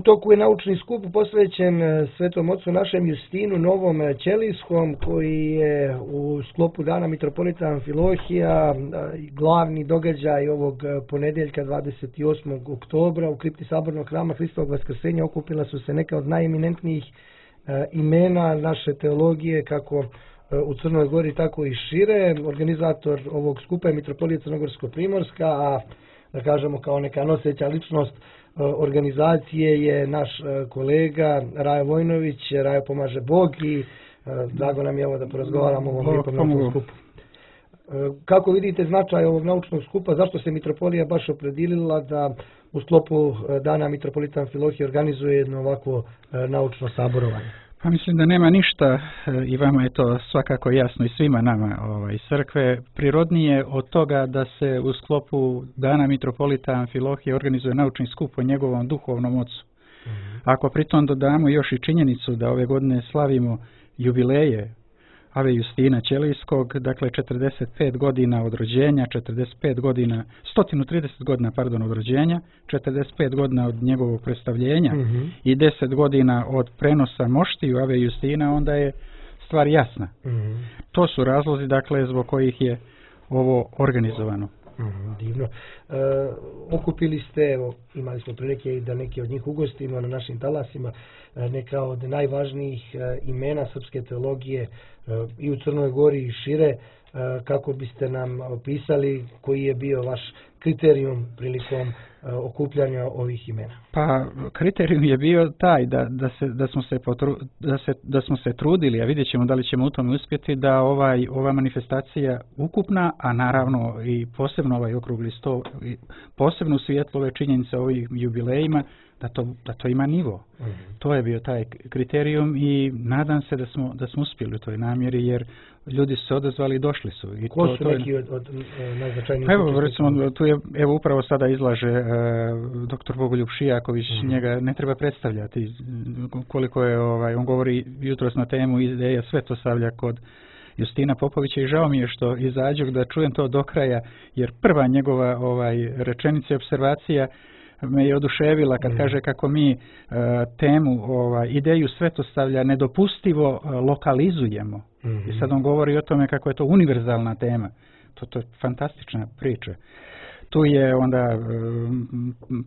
U toku je naučni skup posvećen Svetom ocu našem Justinu Novom Ćelijskom, koji je u sklopu Dana mitropolita Amfilohija glavni događaj ovog ponedjeljka 28. oktobra u kripti Sabornog hrama Hristovog vaskrsenja. Okupila su se neka od najeminentnijih imena naše teologije, kako u Crnoj Gori, tako i šire. Organizator ovog skupa je mitropolija Crnogorsko-primorska, a da kažemo kao neka noseća ličnost organizacije je naš kolega Rajo Vojnović. Rajo, pomaže Bog i drago nam je ovo da porazgovaramo o ovom lijepom naučnom skupu. Kako vidite značaj ovog naučnog skupa, zašto se mitropolija baš opredilila da u sklopu Dana mitropolita Amfilohije organizuje jedno ovakvo naučno saborovanje? Pa mislim da nema ništa, i vama je to svakako jasno i svima nama iz crkve, prirodnije od toga da se u sklopu Dana mitropolita Amfilohije organizuje naučni skup o njegovom duhovnom ocu. Ako pritom dodamo još i činjenicu da ove godine slavimo jubileje Ave Justina Ćelijskog, dakle 45 godina od rođenja, 130 godina od rođenja, 45 godina od njegovog predstavljenja i 10 godina od prenosa moštiju Ave Justina, onda je stvar jasna. To su razlozi, dakle, zbog kojih je ovo organizovano. Divno. Okupili ste, evo, imali smo prilike i da neki od njih ugostimo na našim talasima, neka od najvažnijih imena srpske teologije i u Crnoj Gori i šire. Kako biste nam opisali koji je bio vaš kriterijum prilikom okupljanja ovih imena? Pa kriterijum je bio taj da smo se trudili, a vidjet ćemo da li ćemo u tome uspjeti, da ova manifestacija ukupna, a naravno i posebno ovaj okrugli sto, posebno u svjetlu ove činjenice o ovim jubilejima, da to ima nivo. To je bio taj kriterijum i nadam se da smo uspjeli u toj namjeri, jer ljudi su se odazvali i došli su. I ko su neki od najznačajnijih? Evo, recimo, tu je, evo upravo sada izlaže dr. Bogoljub Šijaković, njega ne treba predstavljati. Koliko je, on govori jutros na temu ideja svetosavlja kod Justina Popovića i žao mi je što izađu da čujem to do kraja, jer prva njegova rečenica i observacija me je oduševila kad kaže kako mi temu, ideju svetosavlja nedopustivo lokalizujemo. I sad on govori o tome kako je to univerzalna tema. To je fantastična priča. Tu je onda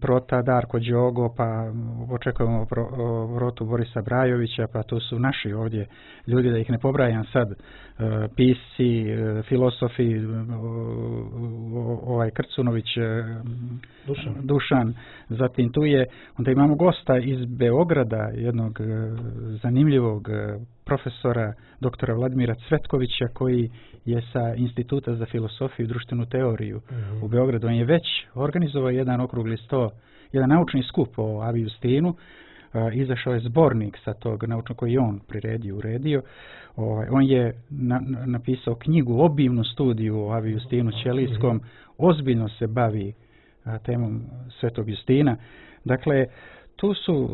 prota Darko Đogo, pa očekujemo protu Borisa Brajovića, pa tu su naši ovdje ljudi, da ih ne pobrajam sad, pisci, filosofi, Krcunović, Dušan. Zatim tu je, onda imamo gosta iz Beograda, jednog zanimljivog profesora, doktora Vladimira Cvetkovića, koji je sa Instituta za filosofiju i društvenu teoriju u Beogradu. On je već organizovao jedan okrugli sto, jedan naučni skup o Avi Justinu. Izašao je zbornik sa tog naučnog koji je on priredio, uredio. On je napisao knjigu, obimnu studiju o Avi Justinu Ćelijskom, ozbiljno se bavi temom Svetog Justina. Dakle, tu su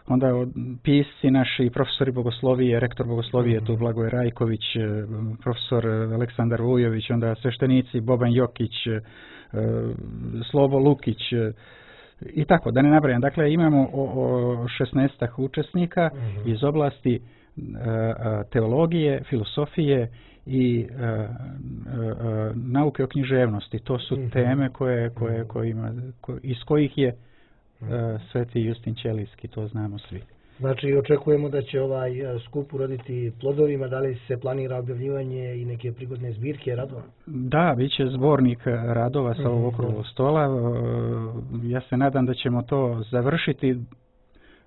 onda pisci naši, profesori bogoslovije, rektor bogoslovije, tu Blagoje Rajković, profesor Aleksandar Vujović, onda sveštenici Boban Jokić, Slobo Lukić i tako, da ne nabrajam. Dakle, imamo 16 učesnika iz oblasti teologije, filosofije i nauke o književnosti. To su teme iz kojih je Sveti Justin Ćelijski, to znamo svi. Znači, očekujemo da će ovaj skup uroditi plodovima. Da li se planira objavljivanje i neke prigodne zbirke radova? Da, bit će zbornik radova sa ovog okruglog stola. Ja se nadam da ćemo to završiti,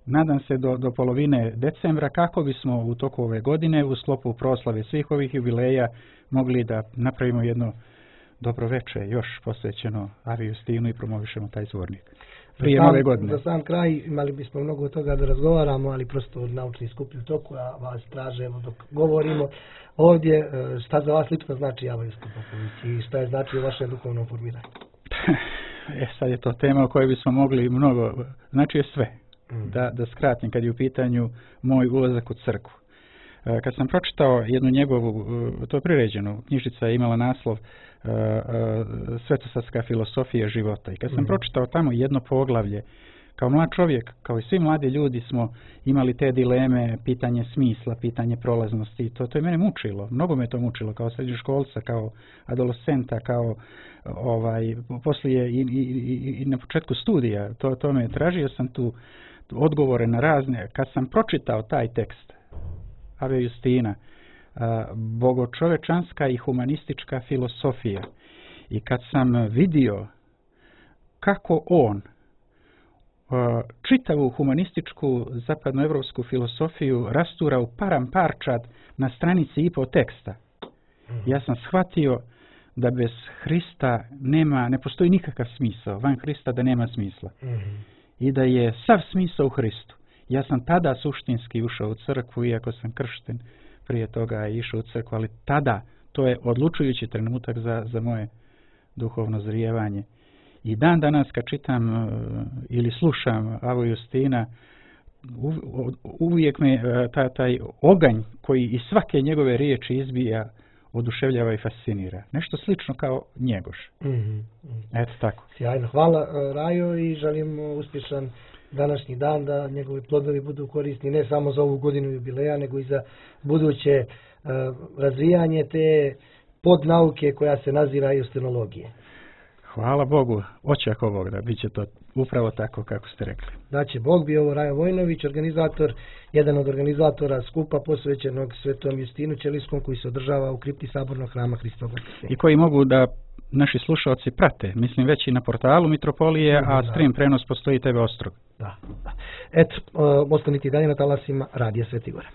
nadam se do polovine decembra, kako bismo u toku ove godine u sklopu proslave svih ovih jubileja mogli da napravimo jedno dobro veče još posvećeno Avi Justinu i promovišemo taj zbornik. Prije nove godine. Za sam kraj imali bismo mnogo toga da razgovaramo, ali prosto naučni skup je u toku, a vas tražemo dok govorimo ovdje. Šta za vas lično znači Ava Justin Popović i šta je znači u vašem duhovnom formiranju? Sad je to tema o kojoj bismo mogli mnogo, znači je sve. Da skratim, kad je u pitanju moj ulazak u crkvu. Kad sam pročitao jednu njegovu, to je priređeno, knjižica je imala naslov Svetosavska filosofija života. I kad sam pročitao tamo jedno poglavlje Kao mlad čovjek, kao i svi mladi ljudi smo imali te dileme, pitanje smisla, pitanje prolaznosti. To je mene mučilo. Mnogo me to mučilo kao srednjoškolca, kao adolescenta, kao poslije i na početku studija. To me tražio sam tu odgovore na razne. Kad sam pročitao taj tekst Ave Justina, bogočovečanska i humanistička filosofija, i kad sam vidio kako on čitavu humanističku zapadnoevropsku filosofiju rastura u param parčad na stranici i po teksta, ja sam shvatio da bez Hrista ne postoji nikakav smisao, van Hrista da nema smisla. I da je sav smisao u Hristu. Ja sam tada suštinski ušao u crkvu, iako sam kršten prije toga išao u crkvu, ali tada to je odlučujući trenutak za moje duhovno zrijevanje. I dan danas kad čitam ili slušam Avu Justina, uvijek me taj oganj koji iz svake njegove riječi izbija oduševljava i fascinira. Nešto slično kao Njegoš. Eto tako. Sjajno. Hvala Rajo i želim uspješan današnji dan, da njegovi plodovi budu korisni ne samo za ovu godinu jubileja, nego i za buduće razvijanje te podnauke koja se naziva justinologije. Hvala Bogu, očako Bog da bit će to upravo tako kako ste rekli. Znači, Bog bio ovo Rajo Vojnović, jedan od organizatora skupa posvećenog Svetom Justinu Ćelijskom koji se održava u kripti Sabornog hrama Hristovog Vaskrsjenja. I koji mogu da naši slušalci prate, mislim već i na portalu Mitropolije, a stream prenos postoji TV Ostrog. Da. Eto, ostanite dalje na talasima Radija Sveti Gora.